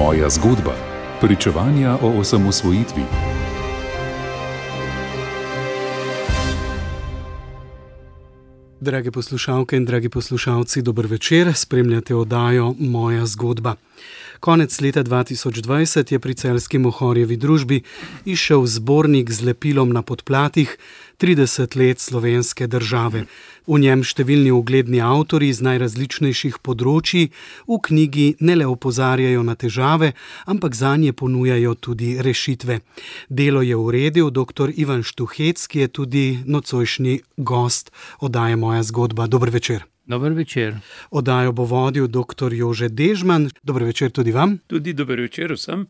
Moja zgodba. Pričevanja o osamosvojitvi. Drage poslušalke in dragi poslušalci, dober večer, spremljate oddajo Moja zgodba. Konec leta 2020 je pri celjski Mohorjevi družbi izšel zbornik z lepilom na podplatih 30 let slovenske države. V njem številni ugledni avtorji z najrazličnejših področji v knjigi ne le opozarjajo na težave, ampak zanje ponujajo tudi rešitve. Delo je uredil dr. Ivan Štuhec, ki je tudi nocojšnji gost oddaje Moja zgodba. Dober večer. Dober večer. Oddajo bo vodil dr. Jože Dežman. Dober večer tudi vam. Tudi dober večer vsem.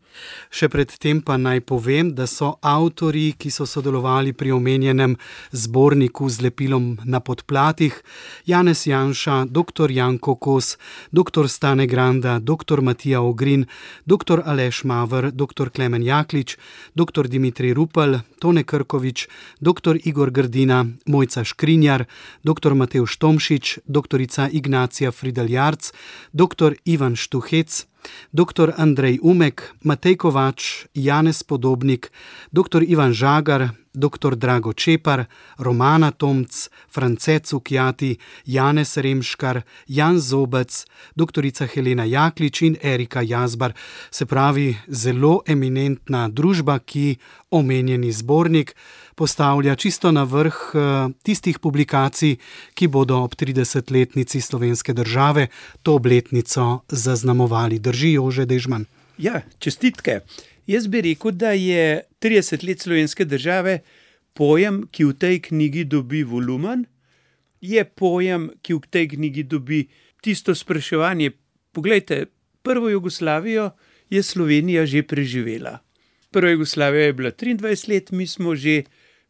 Še predtem pa naj povem, da so avtorji, ki so sodelovali pri omenjenem zborniku z lepilom na podplatih, Janez Janša, dr. Janko Kos, dr. Stane Granda, dr. Matija Ogrin, dr. Aleš Maver, dr. Klemen Jaklič, dr. Dimitrij Rupel, Tone Krkovič, dr. Igor Grdina, Mojca Škrinjar, dr. Matevž Tomšič, dr. Ignacija Frideljarc, dr. Ivan Štuhec, dr. Andrej Umek, Matej Kovač, Janez Podobnik, dr. Ivan Žagar, dr. Drago Čepar, Romana Tomc, France Cukjati, Janez Remškar, Jan Zobec, dr. Helena Jaklič in Erika Jazbar. Se pravi, zelo eminentna družba, ki omenjeni zbornik postavlja čisto na vrh tistih publikacij, ki bodo ob 30-letnici slovenske države to obletnico zaznamovali. Drži, Jože Dežman? Ja, čestitke. Jaz bi rekel, da je 30 let slovenske države pojem, ki v tej knjigi dobi volumen, je pojem, ki v tej knjigi dobi tisto spraševanje. Poglejte, prvo Jugoslavijo je Slovenija že preživela. Prva Jugoslavija je bila 23 let, mi smo že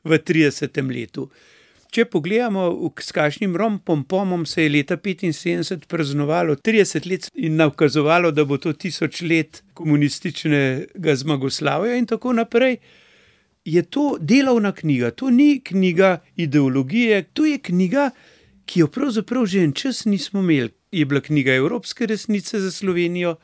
v 30. letu. Če pogledamo, s kakšnim pomom se je leta 75 praznovalo 30 let in nakazovalo, da bo to 1000 let komunističnega zmagoslavja in tako naprej, je to delovna knjiga. To ni knjiga ideologije, to je knjiga, ki jo pravzaprav že en čas nismo imeli. Je bila knjiga evropske resnice za Slovenijo.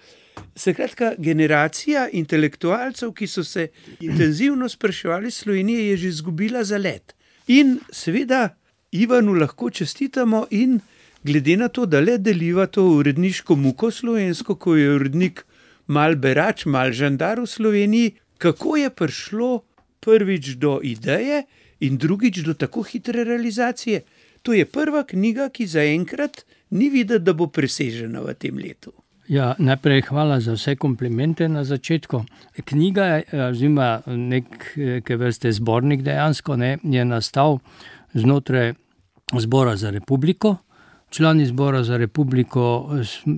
Skratka, generacija intelektualcev, ki so se intenzivno spraševali Slovenije, je že izgubila zalet. In seveda Ivanu lahko čestitamo in glede na to, da le deliva to uredniško muko slovensko, ko je urednik mal berač, mal žandar v Sloveniji, kako je prišlo prvič do ideje in drugič do tako hitre realizacije. To je prva knjiga, ki zaenkrat ni videti, da bo presežena v tem letu. Ja, najprej hvala za vse komplimente na začetku. Knjiga je neke vrste zbornik dejansko, je nastal znotraj Zbora za republiko. Člani Zbora za republiko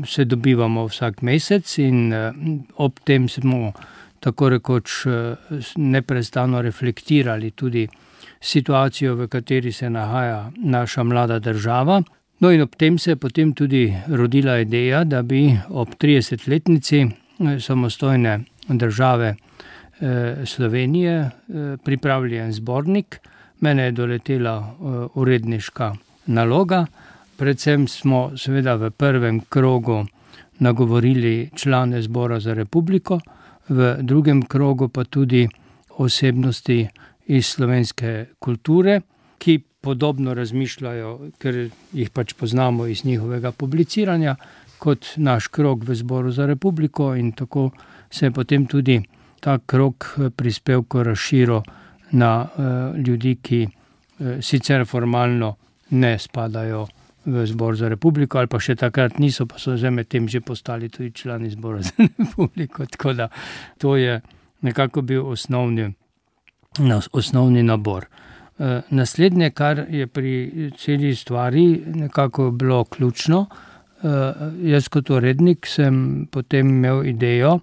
se dobivamo vsak mesec in ob tem smo tako rekoč neprestano reflektirali tudi situacijo, v kateri se nahaja naša mlada država. No in ob tem se je potem tudi rodila ideja, da bi ob 30-letnici samostojne države Slovenije pripravili en zbornik. Mene je doletela uredniška naloga. Predvsem smo seveda v prvem krogu nagovorili člane Zbora za republiko, v drugem krogu pa tudi osebnosti iz slovenske kulture, ki podobno razmišljajo, ker jih pač poznamo iz njihovega publiciranja, kot naš krog v Zboru za republiko, in tako se je potem tudi ta krog prispevkov razširil na ljudi, ki sicer formalno ne spadajo v Zbor za republiko, ali pa še takrat niso, pa so zdaj med tem že postali tudi člani Zbora za republiko. Tako da to je nekako bil osnovni nabor. Naslednje, kar je pri celi stvari nekako bilo ključno, jaz kot urednik sem potem imel idejo,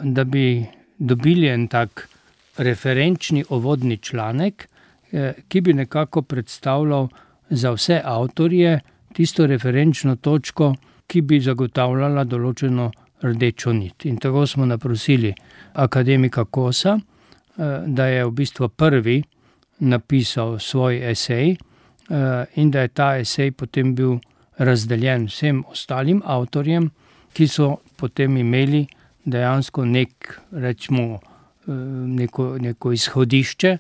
da bi dobili en tak referenčni uvodni članek, ki bi nekako predstavljal za vse avtorje tisto referenčno točko, ki bi zagotavljala določeno rdečo nit. In tako smo naprosili akademika Kosa, da je v bistvu prvi napisal svoj esej in da je ta esej potem bil razdeljen vsem ostalim avtorjem, ki so potem imeli dejansko neko izhodišče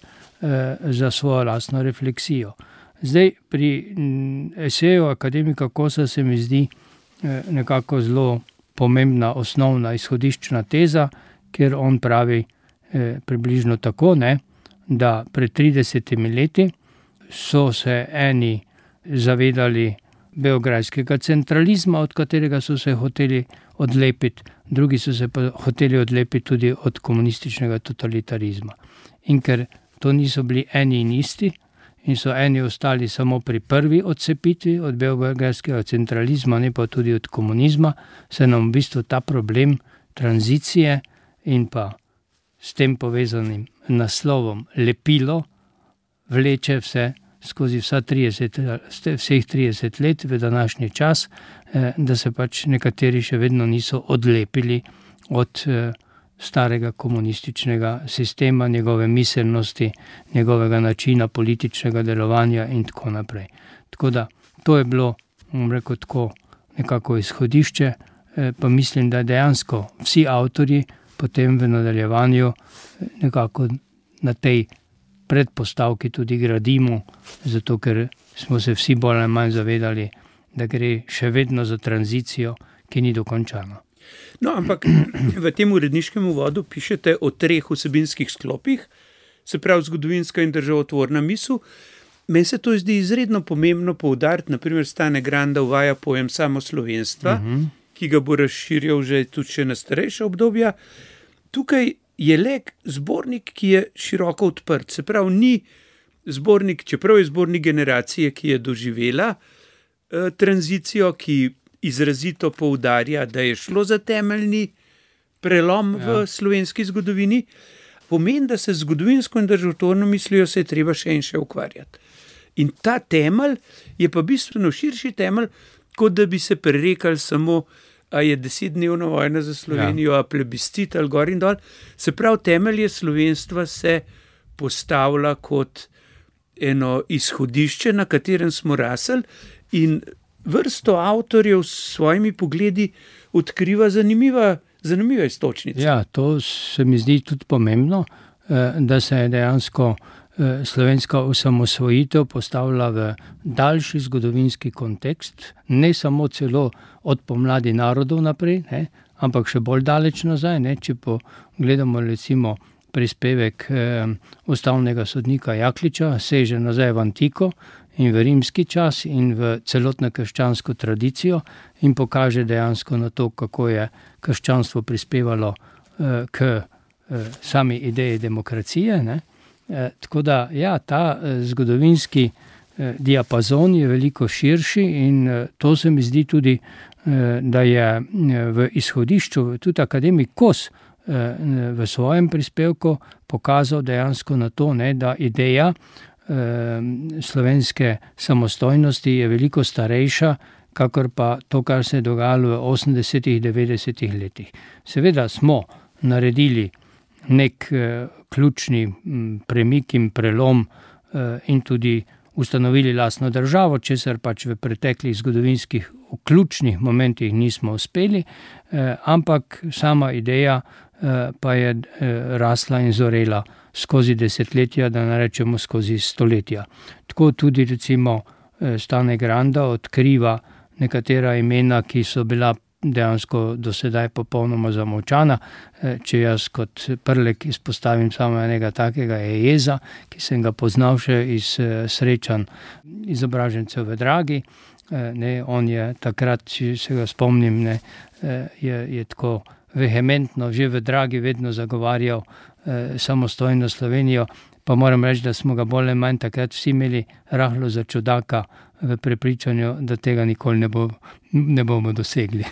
za svojo lastno refleksijo. Zdaj, pri eseju akademika Kosa se mi zdi nekako zelo pomembna osnovna izhodiščna teza, kjer on pravi približno tako, da pred 30 leti so se eni zavedali beograjskega centralizma, od katerega so se hoteli odlepiti, drugi so se pa hoteli odlepiti tudi od komunističnega totalitarizma. In ker to niso bili eni in isti, in so eni ostali samo pri prvi odcepitvi od beograjskega centralizma, ne pa tudi od komunizma, se nam v bistvu ta problem tranzicije in pa s tem povezanim naslovom lepilo vleče vse skozi vseh 30 let v današnji čas, da se pač nekateri še vedno niso odlepili od starega komunističnega sistema, njegove miselnosti, njegovega načina političnega delovanja in tako naprej. Tako da to je bilo, tako nekako izhodišče, pa mislim, da dejansko vsi avtorji potem v nadaljevanju nekako na tej predpostavki tudi gradimo, zato ker smo se vsi bolj ali manj zavedali, da gre še vedno za tranzicijo, ki ni dokončana. No, ampak v tem uredniškem uvodu pišete o 3 vsebinskih sklopih, se pravi zgodovinska in državotvorna misel. Meni se to zdi izredno pomembno poudariti, naprimer Stane Granda uvaja pojem samoslovenstva, ki ga bo razširjal že tudi na starejša obdobja. Tukaj je Lek zbornik, ki je široko odprt, se pravi ni zbornik, čeprav je zbornik generacije, ki je doživela tranzicijo, ki izrazito poudarja, da je šlo za temeljni prelom v slovenski zgodovini, pomeni, da se zgodovinsko in državotvorno mislijo se je treba še in še ukvarjati. In ta temelj je pa bistveno širši temelj, kot da bi se prerekali samo, a je 10-dnevna vojna za Slovenijo, a plebiscit ali gor in dol. Se pravi, temelje slovenstva se postavlja kot eno izhodišče, na katerem smo rasli, in vrsto avtorjev s svojimi pogledi odkriva zanimive iztočnice. Ja, to se mi zdi tudi pomembno, da se je dejansko slovenska osamosvojitev postavila v daljši zgodovinski kontekst, ne samo celo od pomladi narodov naprej, ampak še bolj daleč nazaj. Če pogledamo recimo prispevek ustavnega sodnika Jakliča, seže nazaj v antiko in v rimski čas in v celotno krščansko tradicijo in pokaže dejansko na to, kako je krščanstvo prispevalo k sami ideji demokracije. Tako da, ta zgodovinski diapazon je veliko širši in to se mi zdi tudi, da je v izhodišču tudi akademik Kos v svojem prispevku pokazal dejansko na to, da ideja slovenske samostojnosti je veliko starejša, kakor pa to, kar se je dogajalo v 80-ih, 90-ih letih. Seveda smo naredili nek ključni premik in prelom in tudi ustanovili lastno državo, česar pač v preteklih zgodovinskih ključnih momentih nismo uspeli, ampak sama ideja pa je rasla in zorela skozi desetletja, da ne rečemo skozi stoletja. Tako tudi recimo Stane Granda odkriva nekatera imena, ki so bila dejansko do sedaj popolnoma zamolčana. Če jaz kot Prlek izpostavim samo enega takega, je Jeza, ki sem ga poznal še iz srečanj izobražencev v Dragi. On je takrat, če se ga spomnim, je tako vehementno že v Dragi vedno zagovarjal samostojno Slovenijo, pa moram reči, da smo ga bolj ali manj takrat vsi imeli rahlo za čudaka v prepričanju, da tega nikoli ne bomo dosegli.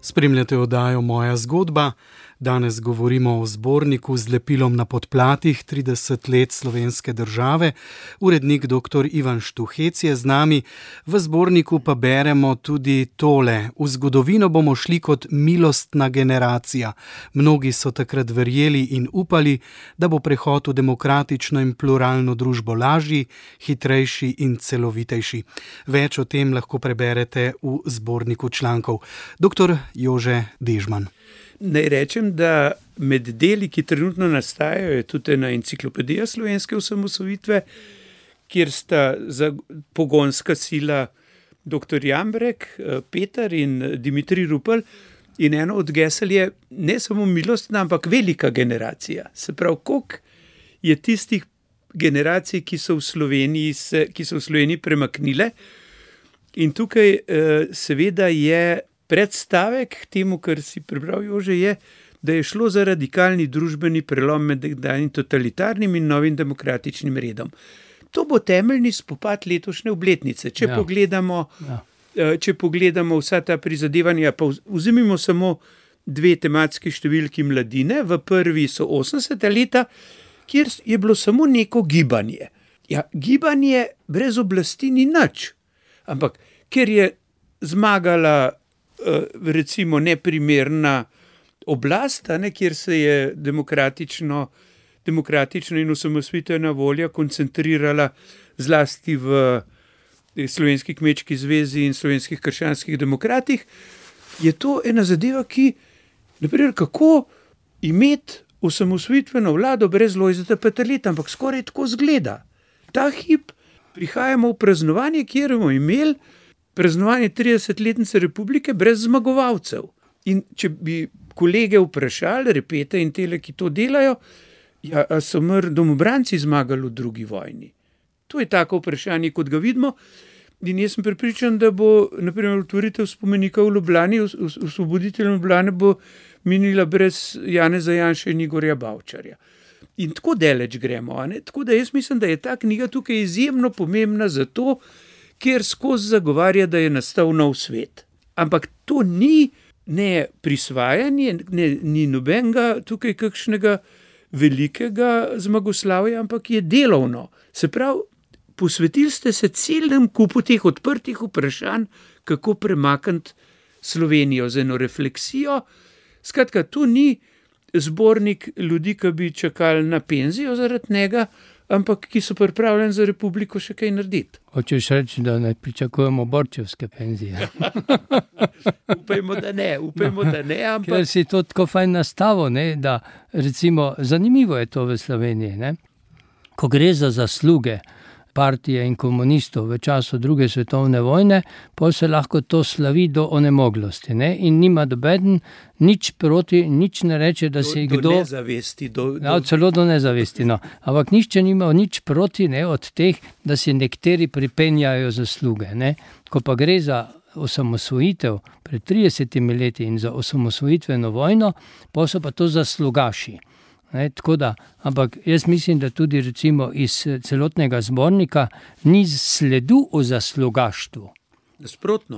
Spremljate oddajo Moja zgodba. Danes govorimo o zborniku z lepilom na podplatih 30 let slovenske države. Urednik dr. Ivan Štuhec je z nami. V zborniku pa beremo tudi tole. V zgodovino bomo šli kot milostna generacija. Mnogi so takrat verjeli in upali, da bo prehod v demokratično in pluralno družbo lažji, hitrejši in celovitejši. Več o tem lahko preberete v zborniku člankov. Dr. Jože Dežman. Naj rečem, da med deli, ki trenutno nastajajo, je tudi ena enciklopedija slovenske osamosvojitve, kjer sta pogonska sila dr. Jambrek, Peter in Dimitrij Rupel. In eno od gesel je ne samo milostna, ampak velika generacija. Se pravi, koliko je tistih generacij, ki so v Sloveniji premaknile. In tukaj seveda je predstavek k temu, kar si prebral, Jože, je, da je šlo za radikalni družbeni prelom med nekdanjim totalitarnim in novim demokratičnim redom. To bo temeljni spopad letošnje obletnice. Če pogledamo vsa ta prizadevanja, pa vzemimo samo 2 tematski številki mladine. V prvi so 80. leta, kjer je bilo samo neko gibanje. Ja, gibanje brez oblasti ni nič. Ampak ker je zmagala recimo neprimerna oblast, kjer se je demokratično in osamosvojitvena volja koncentrirala zlasti v Slovenski kmečki zvezi in Slovenskih krščanskih demokratih, je to ena zadeva, ki, naprimer, kako imeti osamosvojitveno vlado brez Lojzeta Peterleta, ampak skoraj tako zgleda. Ta hip prihajamo v praznovanje, kjer bomo imeli praznovanje 30-letnice republike brez zmagovalcev. In če bi kolege vprašali, Repete in tele, ki to delajo, a so domobranci zmagali v drugi vojni? To je tako vprašanje, kot ga vidimo. In jaz sem prepričan, da bo, naprimer, otvoritev spomenika v Ljubljani, osvoboditeljem Ljubljane bo minila brez Janeza Janše in Igorja Bavčarja. In tako daleč gremo. Tako da jaz mislim, da je ta knjiga tukaj izjemno pomembna zato, ker skozi zagovarja, da je nastal nov svet. Ampak to ni ne prisvajanje, ni nobenega tukaj kakšnega velikega zmagoslavja, ampak je delovno. Se pravi, posvetili ste se celem kupu teh odprtih vprašanj, kako premakniti Slovenijo z eno refleksijo. Skratka, tu ni zbornik ljudi, ki bi čakali na penzijo zaradi njega, ampak ki so pripravljeni za republiko še kaj narediti. Hočeš reči, da ne pričakujemo borčevske penzije? Upajmo, da ne, ampak... Ker si to tako fajn nastavil, da recimo, zanimivo je to v Sloveniji, ne? Ko gre za zasluge partije in komunistov v času druge svetovne vojne, pa se lahko to slavi do onemoglosti, ne? In nima dobeden nič proti, nič ne reče, da si kdo... Do nezavesti. Celo do nezavesti, no. Ampak nišče nima nič proti, ne, od teh, da si nekateri pripenjajo zasluge, ne? Ko pa gre za osamosvojitev pred 30 leti in za osamosvojitveno vojno, pa so pa to zaslugaši. Tako da, ampak jaz mislim, da tudi recimo iz celotnega zbornika ni sledu o zaslugaštvu. Nasprotno.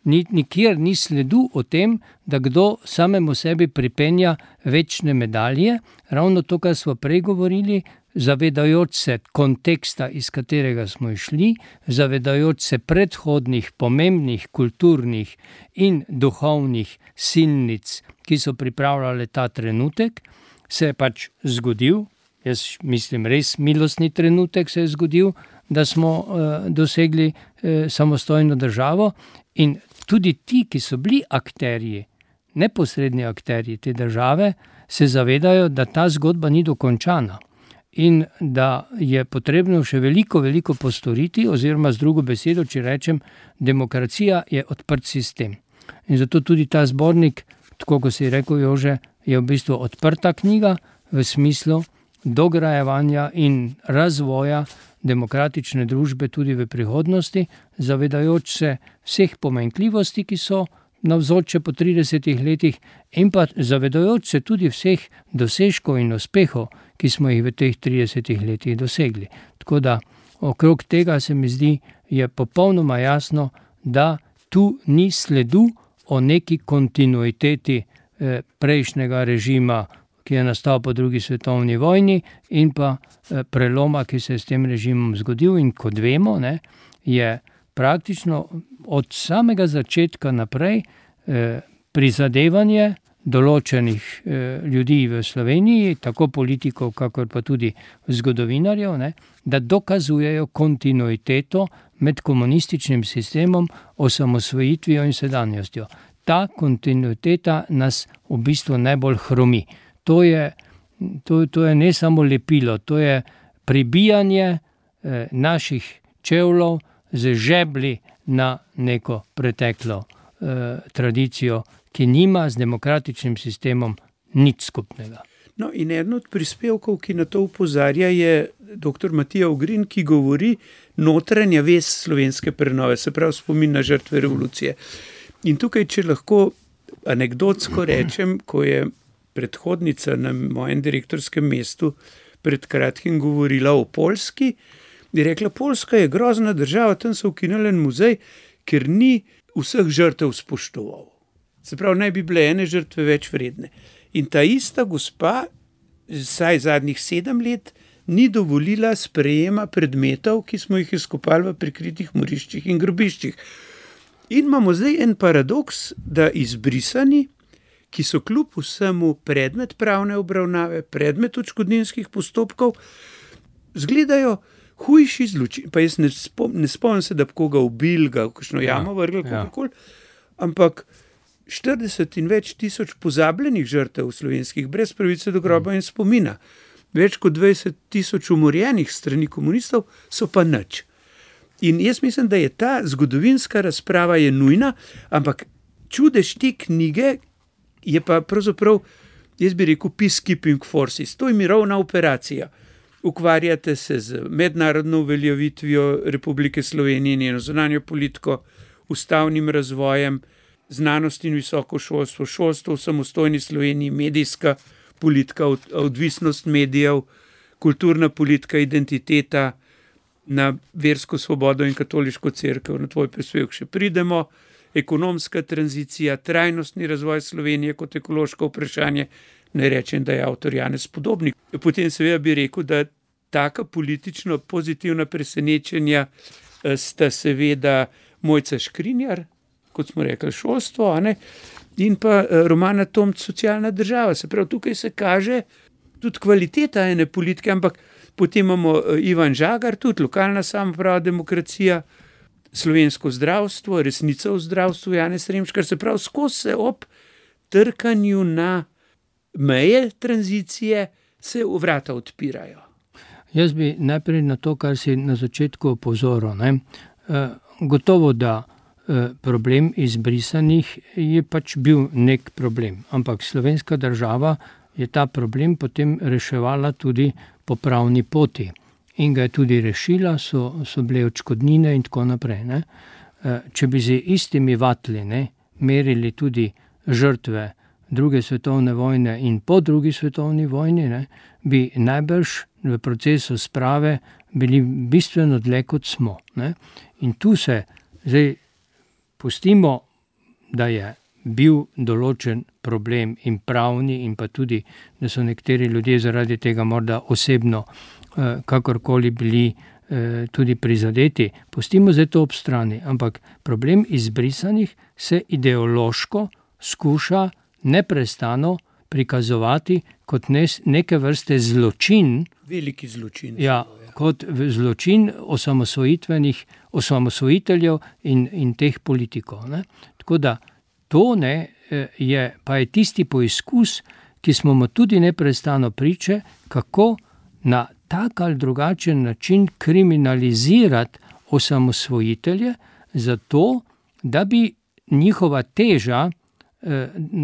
Nikjer ni sledu o tem, da kdo samemu sebi pripenja večne medalje. Ravno to, kar smo prej govorili, zavedajoč se konteksta, iz katerega smo išli, zavedajoč se predhodnih, pomembnih, kulturnih in duhovnih silnic, ki so pripravljale ta trenutek, se je pač zgodil, jaz mislim res milostni trenutek se je zgodil, da smo dosegli samostojno državo in tudi ti, ki so bili akterji, neposredni akterji te države, se zavedajo, da ta zgodba ni dokončana in da je potrebno še veliko postoriti, oziroma z drugo besedo, če rečem, demokracija je odprt sistem. In zato tudi ta zbornik, tako kot si rekel, Jože, je v bistvu odprta knjiga v smislu dograjevanja in razvoja demokratične družbe tudi v prihodnosti, zavedajoč se vseh pomanjkljivosti, ki so navzoče po 30 letih, in pa zavedajoč se tudi vseh dosežkov in uspehov, ki smo jih v teh 30 letih dosegli. Tako da okrog tega se mi zdi, je popolnoma jasno, da tu ni sledu o neki kontinuiteti prejšnjega režima, ki je nastal po drugi svetovni vojni, in pa preloma, ki se je s tem režimom zgodil. In kot vemo, ne, je praktično od samega začetka naprej prizadevanje določenih ljudi v Sloveniji, tako politikov, kakor pa tudi zgodovinarjev, ne, da dokazujejo kontinuiteto med komunističnim sistemom, osamosvojitvijo in sedanjostjo. Ta kontinuiteta nas v bistvu najbolj hromi. To je ne samo lepilo, to je pribijanje naših čevljev z žeblji na neko preteklo tradicijo, ki nima z demokratičnim sistemom nič skupnega. No, in eden od prispevkov, ki na to opozarja, je dr. Matija Ogrin, ki govori notranja vez slovenske prenove, se pravi spomin na žrtve revolucije. In tukaj, če lahko anekdotsko rečem, ko je predhodnica na mojem direktorskem mestu pred kratkim govorila o Poljski, je rekla, Poljska je grozna država, tam so ukinili en muzej, ker ni vseh žrtev spoštoval. Se pravi, naj bi bile ene žrtve več vredne. In ta ista gospa, vsaj zadnjih 7 let, ni dovolila sprejema predmetov, ki smo jih izkopali v prikritih moriščih in grobiščih. In imamo zdaj en paradoks, da izbrisani, ki so kljub vsemu predmet pravne obravnave, predmet odškodninskih postopkov, zgledajo hujši zločin. Pa jaz ne spomnim se, da bi koga ubil, ga v kakšno jamo vrgli, kakorkoli, ampak 40 in več tisoč pozabljenih žrtev slovenskih, brez pravice do groba in spomina, več kot 20 tisoč umorjenih strani komunistov, so pa nič. In jaz mislim, da je ta zgodovinska razprava je nujna, ampak čudež te knjige je pa pravzaprav, jaz bi rekel, peacekeeping forces. To je mirovna operacija. Ukvarjate se z mednarodno uveljavitvijo Republike Slovenije, njeno zunanjo politiko, ustavnim razvojem, znanost in visoko šolstvo, šolstvo v samostojni Sloveniji, medijska politika, odvisnost medijev, kulturna politika, identiteta, na versko svobodo in katoliško cerkev, na tvoj prispevek še pridemo, ekonomska tranzicija, trajnostni razvoj Slovenije kot ekološko vprašanje, ne rečem, da je avtor Janez Podobnik. Potem seveda bi rekel, da taka politično pozitivna presenečenja sta seveda Mojca Škrinjar, kot smo rekli, šolstvo, a ne? In pa Romana Tomc, socialna država. Se pravi, tukaj se kaže tudi kvaliteta ene politike, ampak potem imamo Ivan Žagar, tudi lokalna samoprava, demokracija, slovensko zdravstvo, resnica v zdravstvu, Janez Remškar, se pravi, skozi se ob trkanju na meje tranzicije se vrata odpirajo. Jaz bi najprej na to, kar si na začetku opozoril, ne? Gotovo, da problem izbrisanih je pač bil nek problem, ampak slovenska država je ta problem potem reševala tudi po pravni poti in ga je tudi rešila, so bile odškodnine in tako naprej. Ne? Če bi z istimi vatli, ne, merili tudi žrtve druge svetovne vojne in po drugi svetovni vojni, ne, bi najbrž v procesu sprave bili bistveno dlje, kot smo. Ne? In tu se zdaj pustimo, da je bil določen problem in pravni in pa tudi, da so nekateri ljudje zaradi tega morda osebno kakorkoli bili tudi prizadeti. Pustimo zdaj to ob strani, ampak problem izbrisanih se ideološko skuša neprestano prikazovati kot neke vrste zločin. Veliki zločin. Ja, kot zločin osamosvojiteljev in teh politikov. Ne? Tako da to pa je tisti poizkus, ki smo mu tudi neprestano priče, kako na tak ali drugačen način kriminalizirati osamosvojitelje, zato da bi njihova teža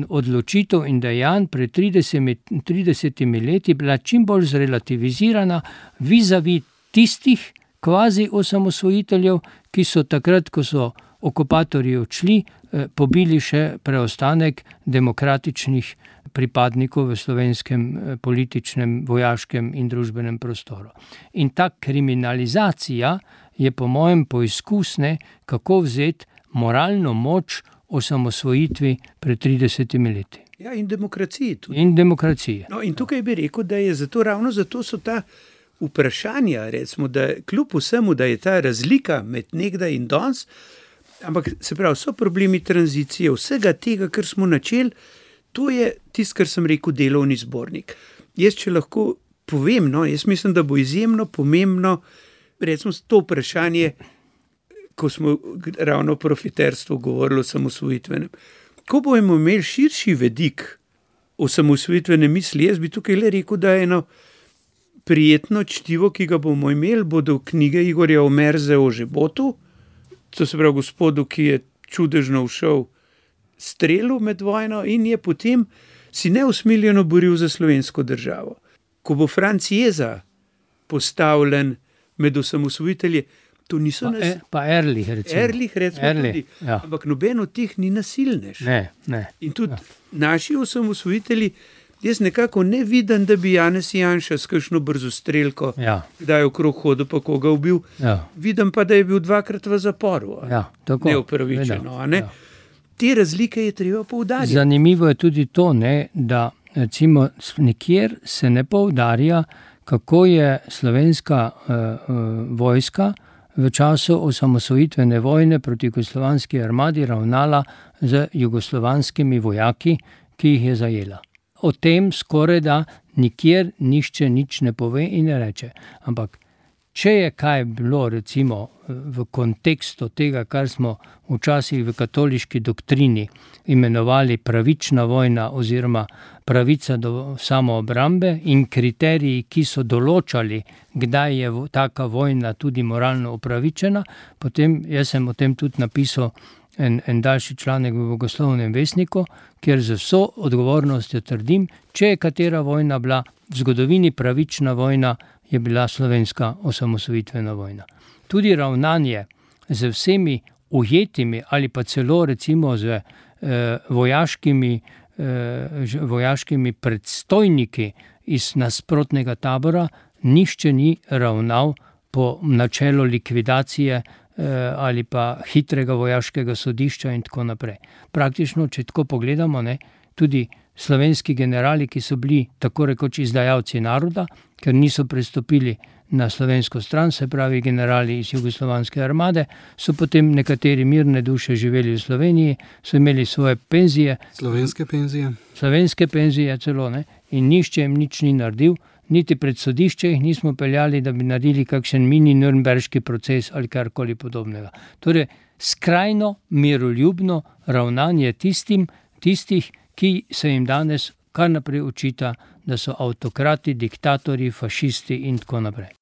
odločitev in dejanj pred 30 leti bila čim bolj zrelativizirana vis-a-vis tistih kvazi osamosvojiteljev, ki so takrat, ko so okupatorji odšli, pobili še preostanek demokratičnih pripadnikov v slovenskem političnem, vojaškem in družbenem prostoru. In ta kriminalizacija je po mojem poizkus, kako vzeti moralno moč osamosvojitvi pred 30 leti. Ja, in demokraciji tudi. In demokracije. No, in tukaj bi rekel, da je ravno zato so ta vprašanja, recimo, da kljub vsemu, da je ta razlika med nekdaj in danes, ampak se pravi, so problemi tranzicije, vsega tega, kar smo načeli, to je tisto, kar sem rekel, delovni zbornik. Jaz, če lahko povem, jaz mislim, da bo izjemno pomembno, recimo, to vprašanje, ko smo ravno o profiterstvu govorili o osamosvojitvenem. Ko bomo imeli širši vidik osamosvojitvene misli, jaz bi tukaj le rekel, da je eno prijetno čtivo, ki ga bomo imeli, bodo knjige Igorja Omerze o Žebotu, to se pravi gospodu, ki je čudežno všel strelu med vojno in je potem si neusmiljeno boril za slovensko državo. Ko bo Franc Jeza postavljen med osamosvojitelje, to niso Pa Erlich, recimo. Erlich, recimo tudi. Ja. Ampak noben od teh ni nasilnež. Ne. In tudi naši osamosvojitelji, jaz nekako ne vidim, da bi Janez Janša s kakšno brzostrelko kdaj okrog hodil pa koga ubil. Ja. Vidim pa, da je bil 2-krat v zaporu. Tako. Neupravičeno. Te razlike je treba poudarjati. Zanimivo je tudi to, da recimo nikjer se ne poudarja, kako je slovenska vojska v času osamosvojitvene vojne proti jugoslovanski armadi ravnala z jugoslovanskimi vojaki, ki jih je zajela. O tem skoraj da nikjer nišče nič ne pove in ne reče. Ampak če je kaj bilo recimo v kontekstu tega, kar smo včasih v katoliški doktrini imenovali pravična vojna oziroma pravica do samoobrambe in kriteriji, ki so določali, kdaj je taka vojna tudi moralno upravičena, potem jaz sem o tem tudi napisal en daljši članek v Bogoslovnem vestniku, kjer z vso odgovornostjo trdim, če je katera vojna bila v zgodovini pravična vojna, je bila slovenska osamosvojitvena vojna. Tudi ravnanje z vsemi ujetimi ali pa celo recimo z vojaškimi predstojniki iz nasprotnega tabora, nišče ni ravnal po načelu likvidacije ali pa hitrega vojaškega sodišča in tako naprej. Praktično, če tako pogledamo, tudi slovenski generali, ki so bili tako rekoč izdajalci naroda, ker niso prestopili na slovensko stran, se pravi generali iz jugoslovanske armade, so potem nekateri mirne duše živeli v Sloveniji, so imeli svoje penzije. Slovenske penzije celo, in nišče jim nič ni naredil, niti pred sodišče jih nismo peljali, da bi naredili kakšen mini nürnberški proces ali karkoli podobnega. Torej, skrajno miroljubno ravnanje tistih, ki se jim danes kar naprej očita, da so avtokrati, diktatorji, fašisti in tako naprej.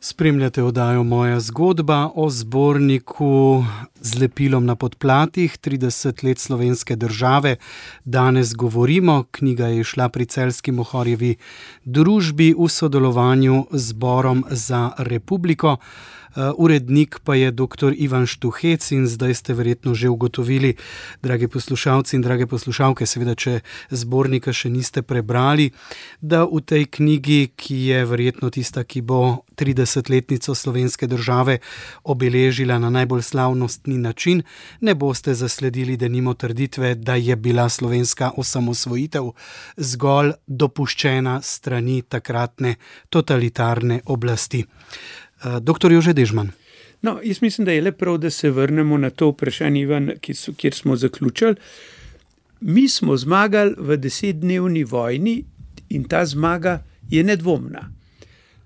Spremljate oddajo Moja zgodba o zborniku z lepilom na podplatih 30 let slovenske države. Danes govorimo, knjiga je šla pri Celjski Mohorjevi družbi v sodelovanju z Zborom za republiko. Urednik pa je dr. Ivan Štuhec in zdaj ste verjetno že ugotovili, dragi poslušalci in drage poslušalke, seveda, če zbornika še niste prebrali, da v tej knjigi, ki je verjetno tista, ki bo 30-letnico slovenske države obeležila na najbolj slavnostni način, ne boste zasledili denimo trditve, da je bila slovenska osamosvojitev zgolj dopuščena strani takratne totalitarne oblasti. Doktor Jože Dežman. Jaz mislim, da je le prav, da se vrnemo na to vprašanje, Ivan, kjer smo zaključili. Mi smo zmagali v 10-dnevni vojni in ta zmaga je nedvomna.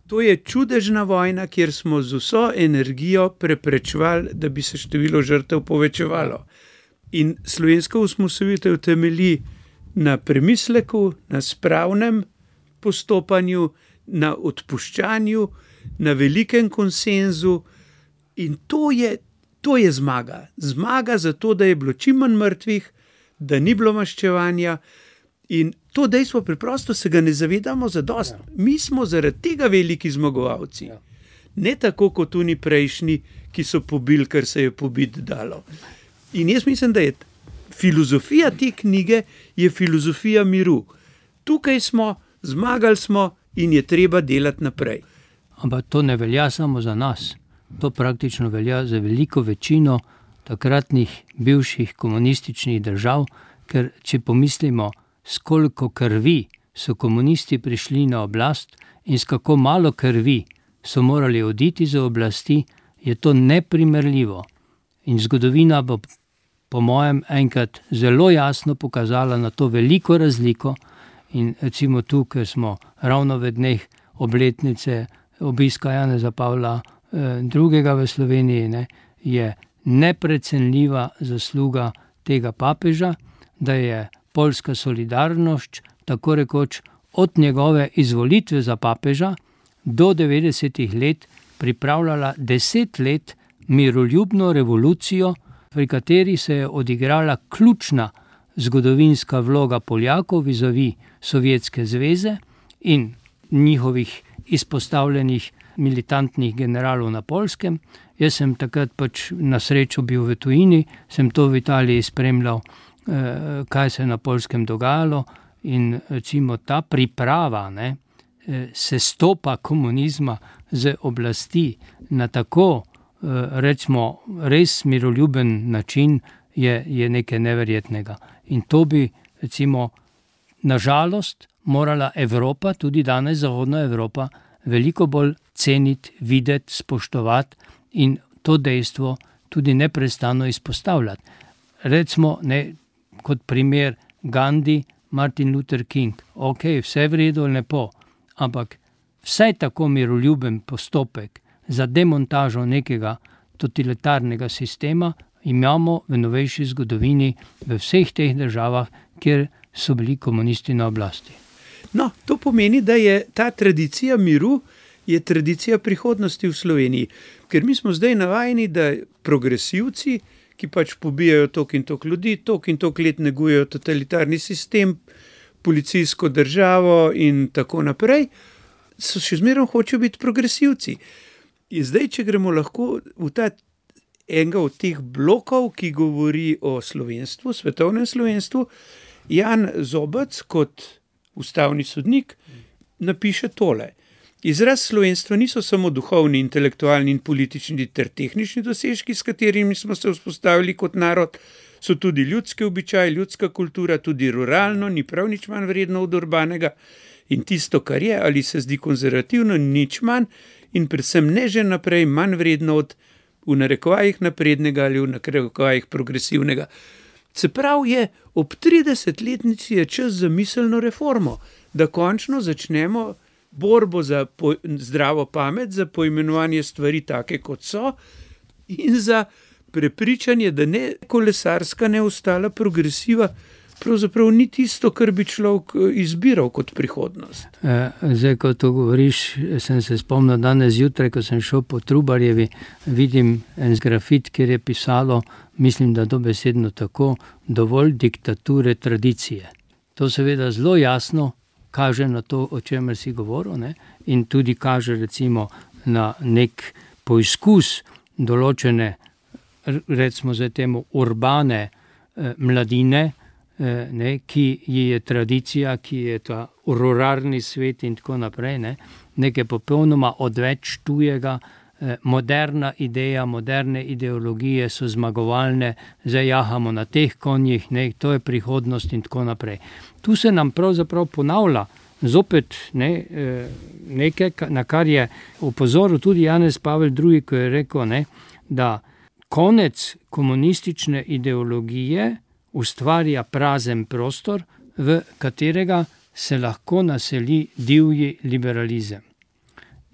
To je čudežna vojna, kjer smo z vso energijo preprečevali, da bi se število žrtev povečevalo. In slovenska osamosvojitev temelji na premisleku, na spravnem postopanju, na odpuščanju, na velikem konsenzu in to je zmaga. Zmaga zato, da je bilo čim manj mrtvih, da ni bilo maščevanja in to dejstvo preprosto se ga ne zavedamo zadosti. Mi smo zaradi tega veliki zmagovalci. Ne tako kot oni prejšnji, ki so pobili, kar se je pobiti dalo. In jaz mislim, da je filozofija te knjige je filozofija miru. Tukaj smo, zmagali smo in je treba delati naprej. Ampak to ne velja samo za nas. To praktično velja za veliko večino takratnih bivših komunističnih držav, ker če pomislimo, s koliko krvi so komunisti prišli na oblast in s kako malo krvi so morali oditi za oblasti, je to neprimerljivo. In zgodovina bo po mojem enkrat zelo jasno pokazala na to veliko razliko. In recimo tu, ker smo ravno v dneh obletnice obiska Janeza Pavla II. V Sloveniji, ne, je neprecenljiva zasluga tega papeža, da je poljska solidarnost tako rekoč od njegove izvolitve za papeža do 90. let pripravljala 10 let miroljubno revolucijo, pri kateri se je odigrala ključna zgodovinska vloga Poljakov vizavi Sovjetske zveze in njihovih izpostavljenih militantnih generalov na Poljskem. Jaz sem takrat pač na srečo bil v tujini, sem to v Italiji spremljal, kaj se je na Poljskem dogajalo, in recimo ta priprava sestopa komunizma z oblasti na tako, recimo, res miroljuben način je nekaj neverjetnega. In to bi, recimo, nažalost morala Evropa, tudi danes Zahodna Evropa, veliko bolj ceniti, videti, spoštovati in to dejstvo tudi neprestano izpostavljati. Recimo, kot primer Gandhi, Martin Luther King. Ok, vse v redu, lepo, ampak vsaj tako miroljuben postopek za demontažo nekega totalitarnega sistema imamo v novejši zgodovini v vseh teh državah, kjer so bili komunisti na oblasti. No, to pomeni, da je ta tradicija miru je tradicija prihodnosti v Sloveniji. Ker mi smo zdaj navajeni, da progresivci, ki pač pobijajo toliko in toliko ljudi, toliko in toliko let negujejo totalitarni sistem, policijsko državo in tako naprej, so še zmeraj hočejo biti progresivci. In zdaj, če gremo lahko v ta enega od teh blokov, ki govori o slovenstvu, svetovnem slovenstvu, Jan Zobec kot ustavni sodnik napiše tole. Izraz slovenstva niso samo duhovni, intelektualni in politični ter tehnični dosežki, s katerimi smo se vzpostavili kot narod, so tudi ljudski običaj, ljudska kultura, tudi ruralno, ni prav nič manj vredno od urbanega in tisto, kar je ali se zdi konzervativno, nič manj in predvsem ne že naprej manj vredno od v narekovajih naprednega ali v narekovajih progresivnega. Se pravi je, ob 30-letnici je čas za miselno reformo, da končno začnemo borbo za zdravo pamet, za poimenovanje stvari take, kot so, in za prepričanje, da ne kolesarska, ne ostala progresiva, pravzaprav ni tisto, kar bi človek izbiral kot prihodnost. Zdaj, ko to govoriš, sem se spomnil danes zjutraj, ko sem šel po Trubarjevi, vidim en grafit, kjer je pisalo, mislim, da dobesedno tako, dovolj diktature tradicije. To seveda zelo jasno kaže na to, o čemer si govoril, ne? In tudi kaže recimo na nek poizkus določene, recimo zdaj temu, urbane mladine, ki je tradicija, ki je ta ruralni svet in tako naprej, nekaj popolnoma odveč tujega, moderna ideja, moderne ideologije so zmagovalne, zdaj jahamo na teh konjih, to je prihodnost in tako naprej. Tu se nam pravzaprav ponavlja zopet nekaj, na kar je opozoril tudi Janez Pavel II., ko je rekel, da konec komunistične ideologije ustvarja prazen prostor, v katerega se lahko naseli divji liberalizem.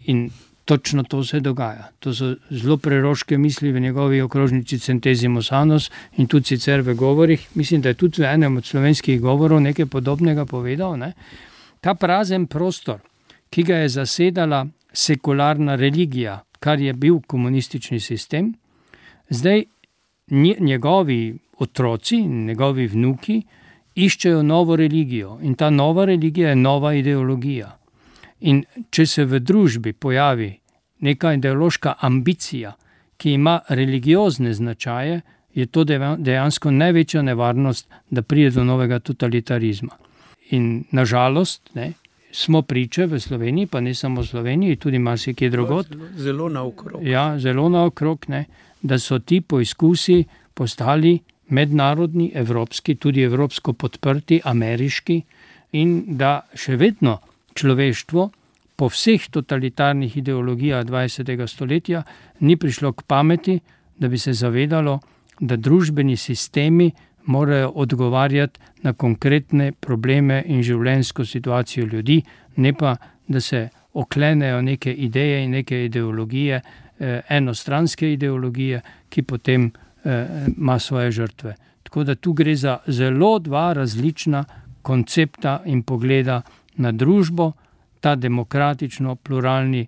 In točno to se dogaja. To so zelo preroške misli v njegovi okrožnici Centesimus Annus in tudi sicer v govorih. Mislim, da je tudi v enem od slovenskih govorov nekaj podobnega povedal. Ta prazen prostor, ki ga je zasedala sekularna religija, kar je bil komunistični sistem, zdaj njegovi otroci in njegovi vnuki iščejo novo religijo in ta nova religija je nova ideologija. In če se v družbi pojavi neka ideološka ambicija, ki ima religiozne značaje, je to dejansko največja nevarnost, da pride do novega totalitarizma. In nažalost, smo priče v Sloveniji, pa ne samo v Sloveniji, tudi marsikje drugod. Zelo naokrog. Ja, zelo naokrog, da so ti poizkusi postali mednarodni, evropski, tudi evropsko podprti, ameriški, in da še vedno človeštvo po vseh totalitarnih ideologijah 20. stoletja ni prišlo k pameti, da bi se zavedalo, da družbeni sistemi morajo odgovarjati na konkretne probleme in življenjsko situacijo ljudi, ne pa, da se oklenejo neke ideje in neke ideologije, enostranske ideologije, ki potem ima svoje žrtve. Tako da tu gre za zelo dva različna koncepta in pogleda na družbo. Ta demokratično pluralni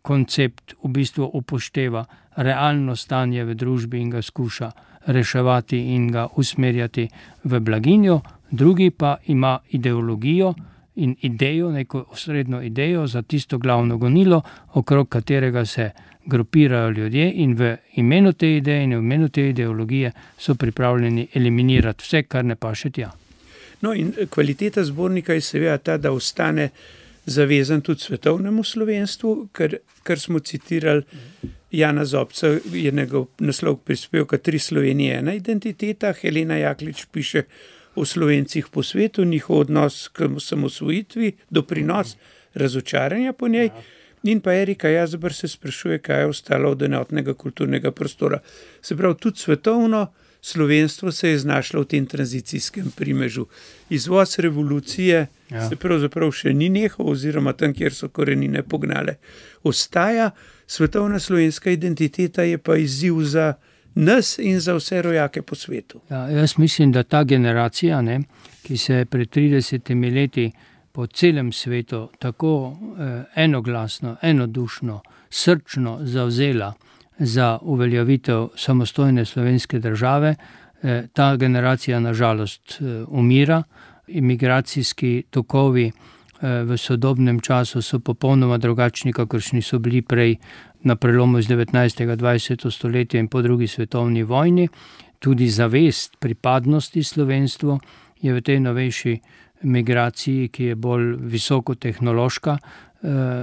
koncept v bistvu upošteva realno stanje v družbi in ga skuša reševati in ga usmerjati v blaginjo, drugi pa ima ideologijo in idejo, neko osrednjo idejo za tisto glavno gonilo, okrog katerega se grupirajo ljudje in v imenu te ideje in v imenu te ideologije so pripravljeni eliminirati vse, kar ne paše tja. No in kvaliteta zbornika je seveda ta, da ostane zavezan tudi svetovnemu slovenstvu, kar smo citirali Jana Zobca, je njegov naslov prispevka 3 Slovenije, ena identiteta. Helena Jaklič piše o Slovencih po svetu, njihov odnos k samosvojitvi, doprinos razočaranja po njej. In pa Erika Jazber se sprašuje, kaj je ostalo od enotnega kulturnega prostora. Se pravi, tudi svetovno slovenstvo se je znašlo v tem tranzicijskem primežu. Izvoz revolucije se pravzaprav še ni nehal, oziroma tam, kjer so korenine pognale, ostaja. Svetovna slovenska identiteta je pa izziv za nas in za vse rojake po svetu. Ja, jaz mislim, da ta generacija, ki se je pred 30 leti po celem svetu tako enoglasno, enodušno, srčno zavzela za uveljavitev samostojne slovenske države, ta generacija nažalost umira. Imigracijski tokovi v sodobnem času so popolnoma drugačni, kakršni so bili prej na prelomu iz 19. 20. stoletja in po drugi svetovni vojni. Tudi zavest pripadnosti slovenstvu je v tej novejši migraciji, ki je bolj visokotehnološka,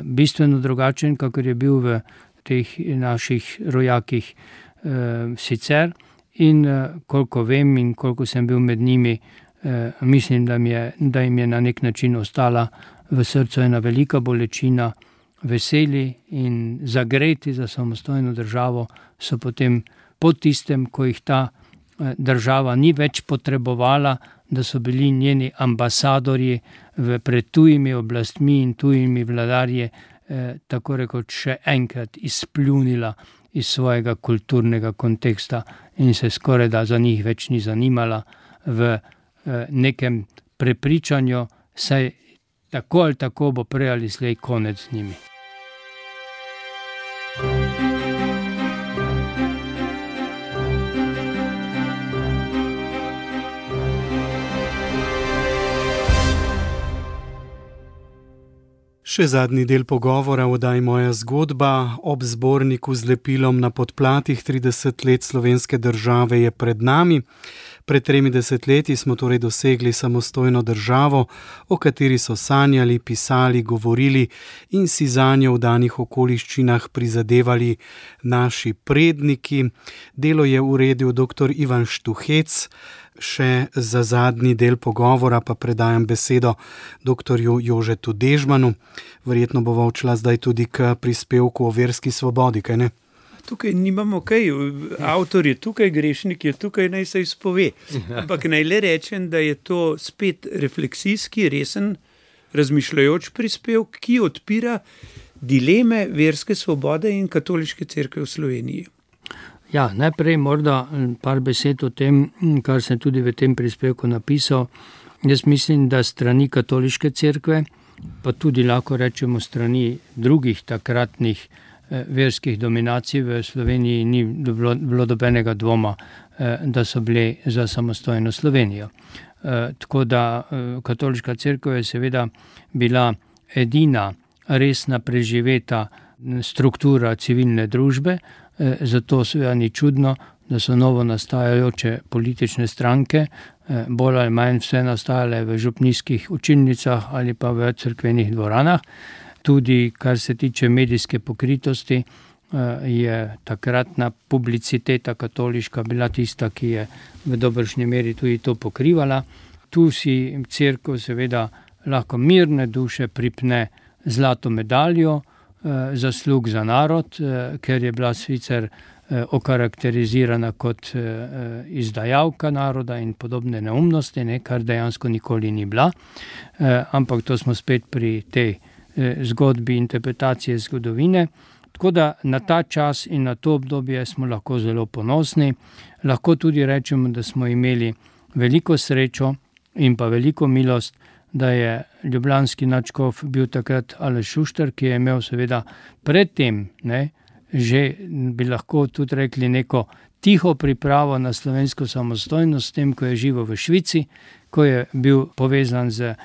bistveno drugačen, kakor je bil v teh naših rojakih sicer. In koliko vem in koliko sem bil med njimi, mislim, da jim je na nek način ostala v srcu ena velika bolečina. Veseli in zagreti za samostojno državo so potem po tistem, ko jih ta država ni več potrebovala, da so bili njeni ambasadorji pred tujimi oblastmi in tujimi vladarji, tako rekoč še enkrat izpljunila iz svojega kulturnega konteksta in se skoraj da za njih več ni zanimala v nekem prepričanju, saj tako ali tako bo prej ali slej konec z njimi. Še zadnji del pogovora v oddaji Moja zgodba ob zborniku z lepilom na podplatih 30 let slovenske države je pred nami. Pred 30 leti smo torej dosegli samostojno državo, o kateri so sanjali, pisali, govorili in si zanjo v danih okoliščinah prizadevali naši predniki. Delo je uredil dr. Ivan Štuhec. Še za zadnji del pogovora pa predajam besedo dr. Jožetu Dežmanu. Verjetno bova odšla zdaj tudi k prispevku o verski svobodi, kaj ne? Tukaj nimamo kaj, avtor je tukaj, grešnik je tukaj, naj se izpove. Ampak naj le rečem, da je to spet refleksijski, resen, razmišljajoč prispevek, ki odpira dileme verske svobode in katoliške cerkve v Sloveniji. Ja, najprej morda par besed o tem, kar sem tudi v tem prispevku napisal. Jaz mislim, da strani katoliške cerkve, pa tudi lahko rečemo strani drugih takratnih verskih dominacij v Sloveniji, ni bilo dobenega dvoma, da so bili za samostojno Slovenijo. Tako da katoliška cerkev je seveda bila edina resna preživeta struktura civilne družbe, zato seveda ni čudno, da so novo nastajajoče politične stranke, bolj ali manj vse nastajale v župnijskih učilnicah ali pa v cerkvenih dvoranah. Tudi kar se tiče medijske pokritosti, je takratna publiciteta katoliška bila tista, ki je v dobršni meri tudi to pokrivala. Tu si cerkev seveda lahko mirne duše pripne zlato medaljo, zaslug za narod, ker je bila sicer okarakterizirana kot izdajalka naroda in podobne neumnosti, kar dejansko nikoli ni bila. Ampak to smo spet pri tej zgodbi interpretacije zgodovine. Tako da na ta čas in na to obdobje smo lahko zelo ponosni. Lahko tudi rečemo, da smo imeli veliko srečo in pa veliko milost, da je ljubljanski nadškof bil takrat Aleš Šuštar, ki je imel seveda predtem, že bi lahko tudi rekli neko tiho pripravo na slovensko samostojnost, s tem, ko je živel v Švici, ko je bil povezan z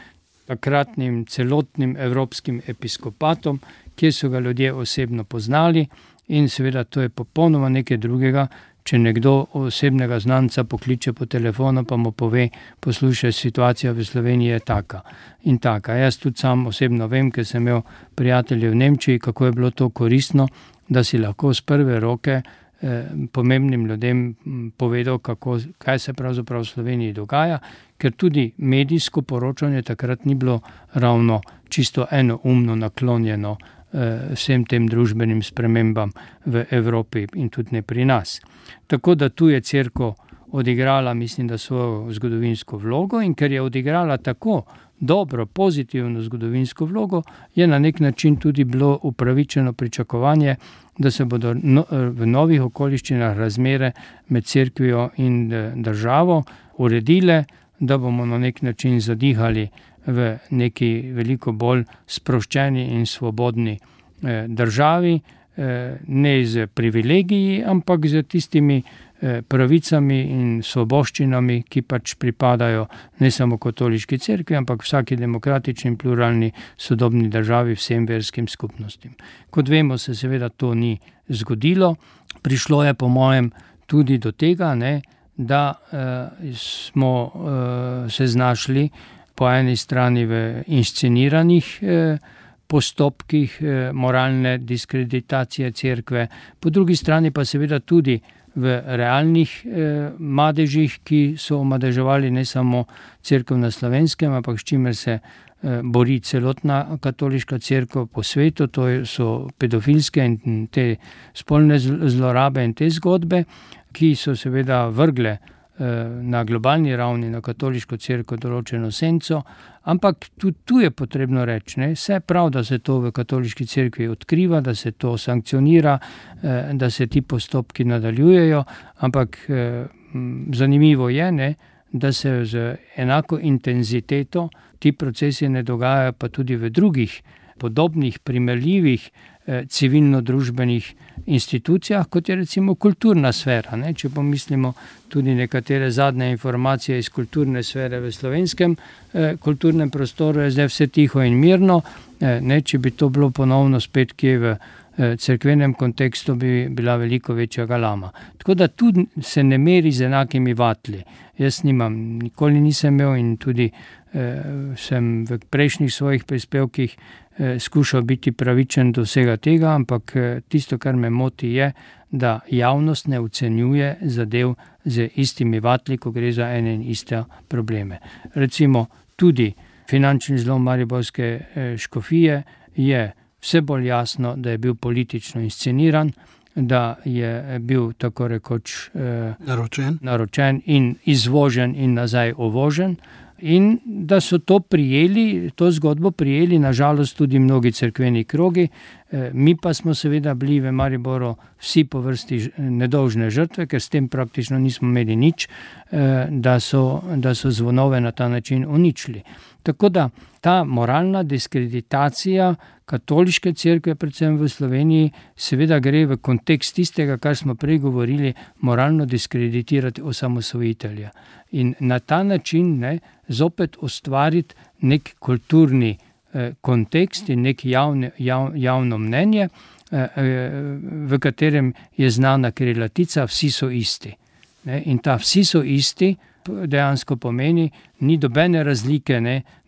takratnim celotnim evropskim episkopatom, kjer so ga ljudje osebno poznali, in seveda to je popolnoma nekaj drugega, če nekdo osebnega znanca pokliče po telefonu, pa mu pove, poslušaj, situacija v Sloveniji je taka in taka. Jaz tudi sam osebno vem, ker sem imel prijatelje v Nemčiji, kako je bilo to koristno, da si lahko z prve roke pomembnim ljudem povedal, kaj se pravzaprav v Sloveniji dogaja, ker tudi medijsko poročanje takrat ni bilo ravno čisto enoumno naklonjeno vsem tem družbenim spremembam v Evropi in tudi ne pri nas. Tako da tu je cerkev odigrala, mislim, da svojo zgodovinsko vlogo, in ker je odigrala tako dobro, pozitivno zgodovinsko vlogo, je na nek način tudi bilo upravičeno pričakovanje, da se bodo v novih okoliščinah razmere med cerkvijo in državo uredile, da bomo na nek način zadihali v neki veliko bolj sproščeni in svobodni državi, ne z privilegiji, ampak z tistimi pravicami in svoboščinami, ki pač pripadajo ne samo katoliški cerkvi, ampak vsaki demokratični in pluralni sodobni državi, vsem verskim skupnostim. Kot vemo, se seveda to ni zgodilo. Prišlo je po mojem tudi do tega, da smo se znašli po eni strani v insceniranih postopkih moralne diskreditacije cerkve, po drugi strani pa seveda tudi v realnih madežih, ki so omadeževali ne samo cerkev na Slovenskem, ampak s čimer se bori celotna katoliška cerkev po svetu, to so pedofilske in te spolne zlorabe in te zgodbe, ki so seveda vrgle na globalni ravni na katoliško cerkev določeno senco, ampak tudi tu je potrebno reči, vse prav, da se to v katoliški cerkvi odkriva, da se to sankcionira, da se ti postopki nadaljujejo, ampak zanimivo je, da se z enako intenziteto ti procesi ne dogajajo pa tudi v drugih podobnih, primerljivih civilno-družbenih institucijah, kot je recimo kulturna sfera. Če pomislimo tudi nekatere zadnje informacije iz kulturne sfere v slovenskem kulturnem prostoru, je zdaj vse tiho in mirno. Če bi to bilo ponovno spet kje v cerkvenem kontekstu, bi bila veliko večja galama. Tako da tudi se ne meri z enakimi vatli. Jaz nikoli nisem imel in tudi sem v prejšnjih svojih prispevkih skušal biti pravičen do vsega tega, ampak tisto, kar me moti, je, da javnost ne ocenjuje zadev z istimi vatli, ko gre za ene in iste probleme. Recimo tudi finančni zlom mariborske škofije je vse bolj jasno, da je bil politično insceniran, da je bil tako rekoč naročen in izvožen in nazaj uvožen, in da so to zgodbo prijeli nažalost tudi mnogi cerkveni krogi. Mi pa smo seveda bili v Mariboru vsi po vrsti nedolžne žrtve, ker s tem praktično nismo imeli nič, da so zvonove na ta način uničili. Tako da ta moralna diskreditacija katoliške cerkve, predvsem v Sloveniji, seveda gre v kontekst tistega, kar smo prej govorili, moralno diskreditirati osamosvojitelja. In na ta način zopet ustvariti nek kulturni kontekst in nek javno mnenje, v katerem je znana krilatica Vsi so isti. In ta Vsi so isti dejansko pomeni, ni dobene razlike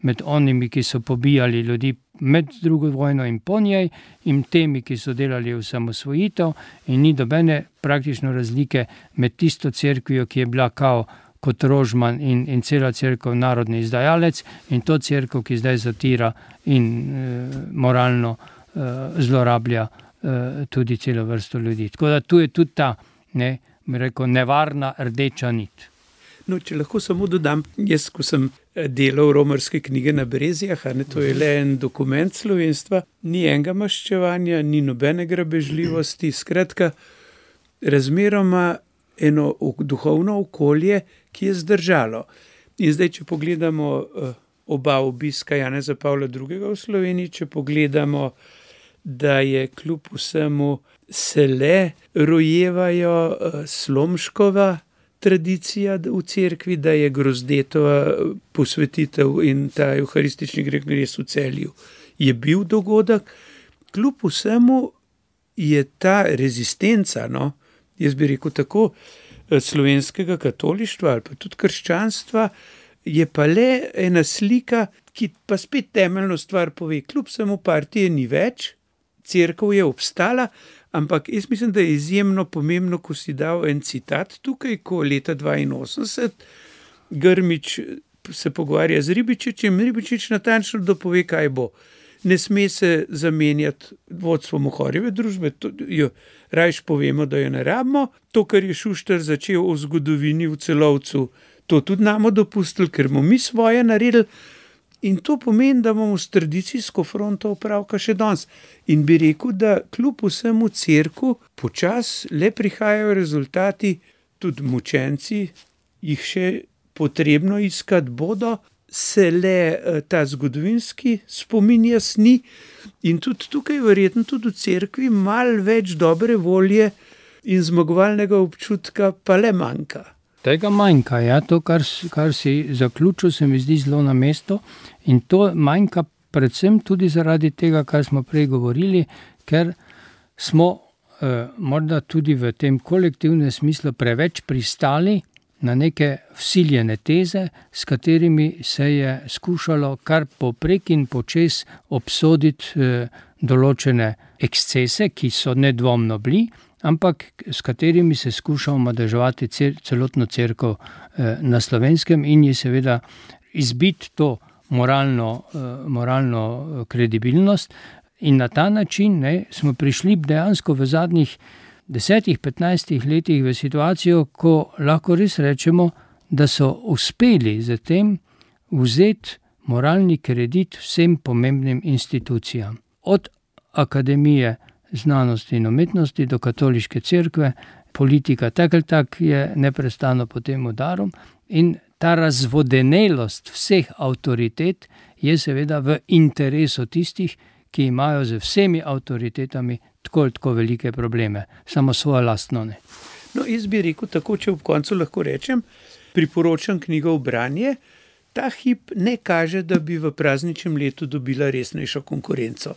med onimi, ki so pobijali ljudi med drugo vojno in po njej, in temi, ki so delali osamosvojitev, in ni dobene praktično razlike med tisto cerkvijo, ki je bila kot Rožman in cela cerkev narodni izdajalec, in to cerkev, ki zdaj zatira in moralno zlorablja tudi celo vrsto ljudi. Tako da tu je tudi ta, nevarna rdeča nit. No, če lahko samo dodam, jaz, ko sem delal romarske knjige na Brezijah, to je le en dokument slovenstva, ni enega maščevanja, ni nobene grabežljivosti, skratka, razmeroma eno duhovno okolje, ki je zdržalo. In zdaj, če pogledamo oba obiska Janeza Pavla II. V Sloveniji, če pogledamo, da je kljub vsemu se le rojevajo Slomškova tradicija v cerkvi, da je Grozdetova posvetitev in ta evharistični gres v Celju je bil dogodek. Kljub vsemu je ta rezistenca, jaz bi rekel tako, slovenskega katolištva ali pa tudi krščanstva, je pa le ena slika, ki pa spet temeljno stvar pove. Kljub vsemu partije ni več, cerkev je obstala, ampak jaz mislim, da je izjemno pomembno, ko si dal en citat tukaj, ko leta 82 Grmič se pogovarja z Ribičičem, Ribičič natančno dopove, kaj bo. Ne sme se zamenjati vodstvo Mohorjeve družbe, rajš povemo, da jo ne rabimo. To, kar je Šuštar začel o zgodovini v Celovcu, to tudi namo dopustili, ker bomo mi svoje naredili. In to pomeni, da bomo s tradicijsko fronto opravka še danes. In bi rekel, da kljub vsemu cerku počas le prihajajo rezultati, tudi mučenci jih še potrebno iskati bodo, se le ta zgodovinski spomin jasni in tudi tukaj verjetno tudi v cerkvi malo več dobre volje in zmagovalnega občutka pa le manjka. Tega manjka, to, kar si zaključil, se mi zdi zelo na mesto, in to manjka predvsem tudi zaradi tega, kar smo prej govorili, ker smo morda tudi v tem kolektivnem smislu preveč pristali na neke vsiljene teze, s katerimi se je skušalo kar poprek in počez obsoditi določene ekscese, ki so nedvomno bili, ampak s katerimi se skuša omadeževati celotno cerkev na Slovenskem in je seveda izbiti to moralno kredibilnost. In na ta način smo prišli dejansko v zadnjih 10-15 letih v situacijo, ko lahko res rečemo, da so uspeli z tem vzeti moralni kredit vsem pomembnim institucijam. Od akademije znanosti in umetnosti do katoliške cerkve, politika tak je neprestano pod tem udarom in ta razvodenelost vseh avtoritet je seveda v interesu tistih, ki imajo z vsemi avtoritetami tako velike probleme, samo svoje lastno ne. No, jaz bi rekel tako, če ob koncu lahko rečem, priporočam knjigo v branje, ta hip ne kaže, da bi v prazničnem letu dobila resnejšo konkurenco.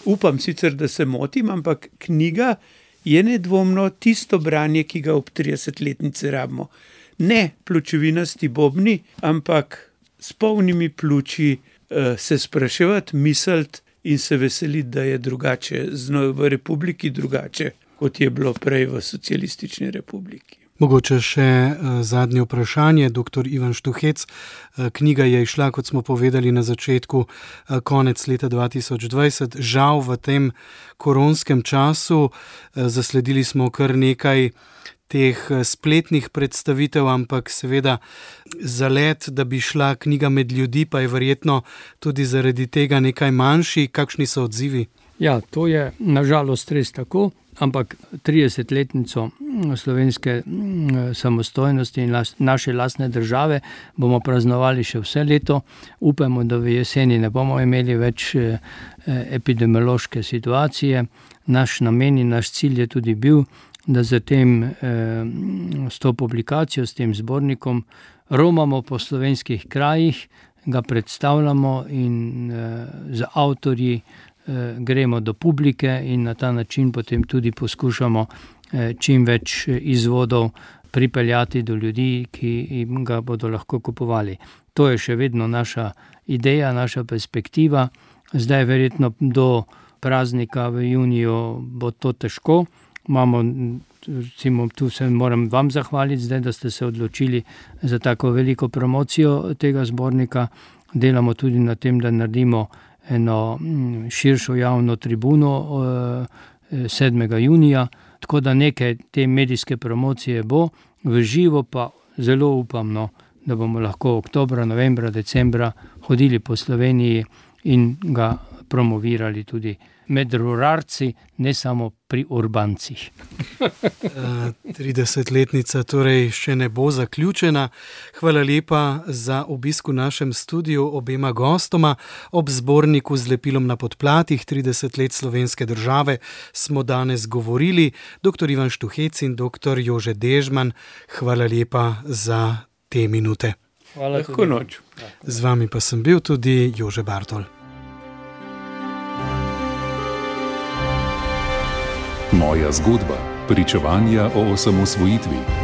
Upam sicer, da se motim, ampak knjiga je nedvomno tisto branje, ki ga ob 30-letnici rabimo. Ne pločevinasti bobni, ampak s polnimi pljuči se spraševati, misliti in se veseliti, da je drugače v republiki drugače, kot je bilo prej v socialistični republiki. Mogoče še zadnje vprašanje, dr. Ivan Štuhec. Knjiga je izšla, kot smo povedali na začetku, konec leta 2020. Žal v tem koronskem času zasledili smo kar nekaj teh spletnih predstavitev, ampak seveda zalet, da bi šla knjiga med ljudi, pa je verjetno tudi zaradi tega nekaj manjši. Kakšni so odzivi? Ja, to je nažalost res tako, ampak 30-letnico slovenske samostojnosti in naše lastne države bomo praznovali še vse leto. Upamo, da v jeseni ne bomo imeli več epidemiološke situacije. Naš namen in naš cilj je tudi bil, da s to publikacijo, s tem zbornikom romamo po slovenskih krajih, ga predstavljamo in z avtorji gremo do publike in na ta način potem tudi poskušamo čim več izvodov pripeljati do ljudi, ki jim ga bodo lahko kupovali. To je še vedno naša ideja, naša perspektiva. Zdaj verjetno do praznika v juniju bo to težko. Imamo, recimo, tu se moram vam zahvaliti zdaj, da ste se odločili za tako veliko promocijo tega zbornika. Delamo tudi na tem, da naredimo eno širšo javno tribuno 7. junija, tako da nekaj te medijske promocije bo, v živo pa zelo upam, da bomo lahko oktobra, novembra, decembra hodili po Sloveniji in ga promovirali tudi med ruralci, ne samo pri urbancih. 30-letnica torej še ne bo zaključena. Hvala lepa za obisk v našem studiu obema gostoma. Ob zborniku z lepilom na podplatih 30 let slovenske države smo danes govorili dr. Ivan Štuhec in dr. Jože Dežman. Hvala lepa za te minute. Hvala. Lahko noč. Z vami pa sem bil tudi Jože Bartol. Moja zgodba. Pričevanja o osamosvojitvi.